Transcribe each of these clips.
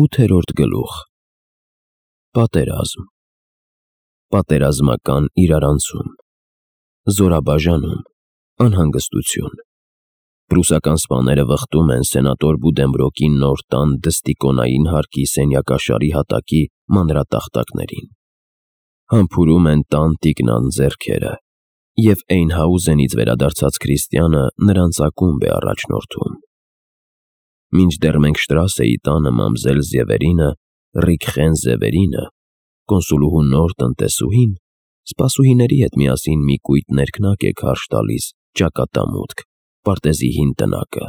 8-րդ գլուխ։ Պատերազմ։ Պատերազմական իրարանցում։ Զորաբաժանում։ Անհանգստություն։ Պրուսական սպաները վխտում են սենատոր Բուդենբրոկի նոր տան դստիկոնային հարկի սենյակաշարի հատակի մանրատախտակներին։ Համբուրում են տան տիկնան ձեռքերը, և Էյնհաուզենից վերադարձած Քրիստիանը նրանց ակումբ է առաջնորդում։ Մինչդեռ մենք Շտրասեի տանը մամզել Զևերինը, Ռիկխեն Զևերինը, կոնսուլուհու նոր տնտեսուհին, սպասուհիների հետ միասին մի կույտ ներքնակ է քարշ տալիս ճակատամուտք, պարտեզի հին տնակը,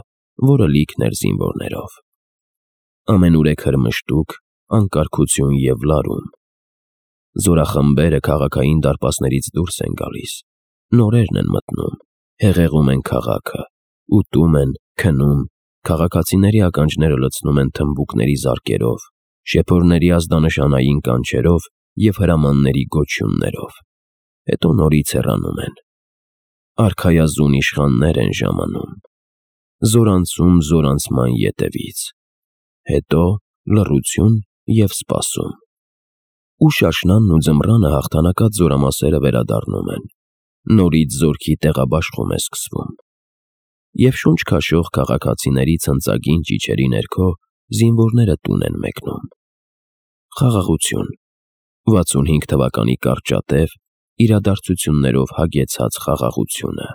որը լիքն էր զինվորներով։ Ամենուր է քրմշտուկ, անկարգություն և լարում։ Զորախմբերը քաղաքային դարպասներից դուրս են գալիս, նորերն են մտնում, հեղեղում են քաղաքը, ուտում են, քնում, քաղաքացիների ականջները լցնում են թմբուկների զարկերով, շեփորների ազդանշանային կանչերով և հրամանների գոչյուններով, հետո նորից հեռանում են։ Արքայազուն իշխաններ են ժամանում, զորանցում զորանցման ետևից, հետո լռություն և սպասում։ Ու շաշնանն ու ձմռանը հաղթանակած զորամասերը վերադառնում են, նորից զորքի տեղաբաշխում է սկսվում։ Եվ շունչ քաշող քաղաքացիների ցնծագին ճիչերի ներքո զինվորները տուն են մեկնում։ Խաղաղություն, 65 թվականի կարճատև, իրադարձություններով հագեցած խաղաղությունը։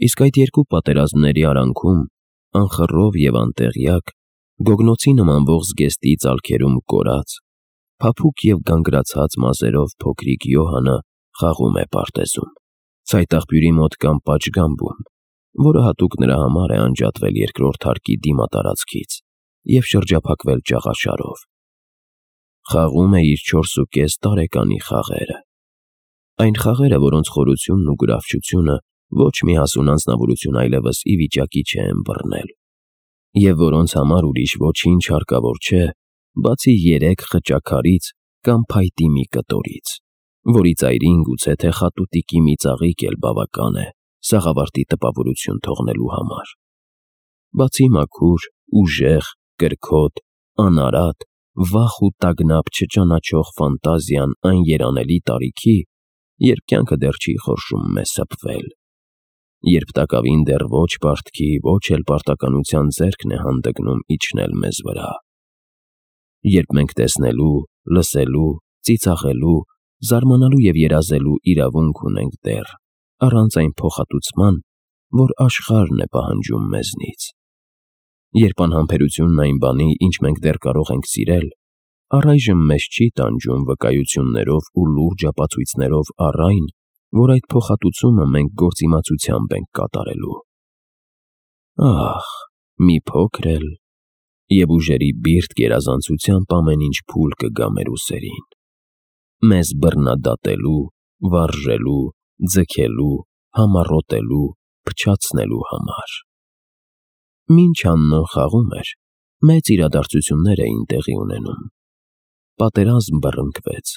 Իսկ այդ երկու պատերազմների արանքում, անխռով և անտեղյակ, գոգնոցի նմանվող զգեստի ծալքերում կորած, փափուկ և գանգրացած մազերով փոքրիկ Յոհանը խաղում է պարտեզում, ցայտաղբյուրի մոտ կամ պատշգամբում, որը հատուկ նրա համար է անջատվել երկրորդ հարկի դիմատարածքից և շրջափակվել ճաղաշարով։ Խաղում է իր 4.5 տարեկանի խաղերը։ Այն խաղերը, որոնց խորությունն ու գրավչությունը ոչ մի հասուն անձնավորություն այլևս ի վիճակի չէ ըմբռնել, և որոնց համար ուրիշ ոչինչ հարկավոր չէ, բացի 3 խճաքարից կամ փայտի մի կտորից, որի ծայրին գուցե թե խատուտիկի մի ծաղիկ էլ բավական է սաղավարտի տպավորություն թողնելու համար։ Բացի մաքուր, ուժեղ, կրքոտ, անարատ, վախ ու տագնապ չճանաչող ֆանտազիան այն երանելի տարիքի, երբ կյանքը դեռ չի խորշում մեզ սփվել, երբ տակավին դեռ ոչ պարտքի, ոչ էլ պարտականության ձեռքն է հանդգնում իջնել մեզ վրա, երբ մենք տեսնելու, լսելու, ծիծաղելու, զարմանալու և երազելու իրավունք ունենք դեռ, առանց այն փոխհատուցման, որ աշխարհն է պահանջում մեզնից, երբ անհամբերությունն այն բանի, ինչ մենք դեռ կարող ենք սիրել, առայժմ մեզ չի տանջում վկայություններով ու լուրջ ապացույցներով առ այն, որ այդ փոխհատուցումը մենք գործիմացությամբ ենք կատարելու։ Ահ, մի փոքր էլ, և ուժերի բիրտ գերազանցությամբ ամեն ինչ փուլ կգա մեր ուսերին, մեզ բռնադատելու, վարժելու, ձգելու, համառոտելու, փչացնելու համար։ Մինչ աննոն խաղում էր, մեծ իրադարձություններ էին տեղի ունենում։ Պատերազմ բռնկվեց,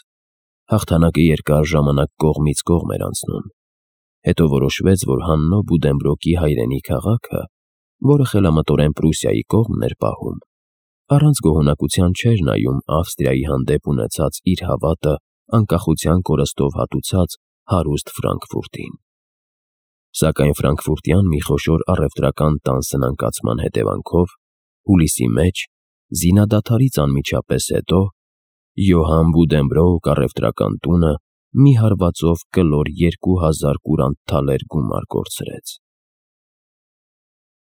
հաղթանակը երկար ժամանակ կողմից կողմ էր անցնում, հետո որոշվեց, որ Հաննո Բուդենբրոկի հայրենի քաղաքը, որը խելամտորեն Պրուսիայի կողմն էր պահում, առանց գոհունակության չէր նայում Ավստրիայի հանդեպ ունեցած իր հավատը անկախության կորստով հատուցած հարուստ Ֆրանկֆուրտին։ Սակայն ֆրանկֆուրտյան մի խոշոր առևտրական տան սնանկացման հետևանքով, հուլիսի մեջ, զինադադարից անմիջապես հետո, Յոհան Բուդենբրոկ առևտրական տունը մի հարվածով կլոր 2000 կուրանտ թալեր գումար կորցրեց։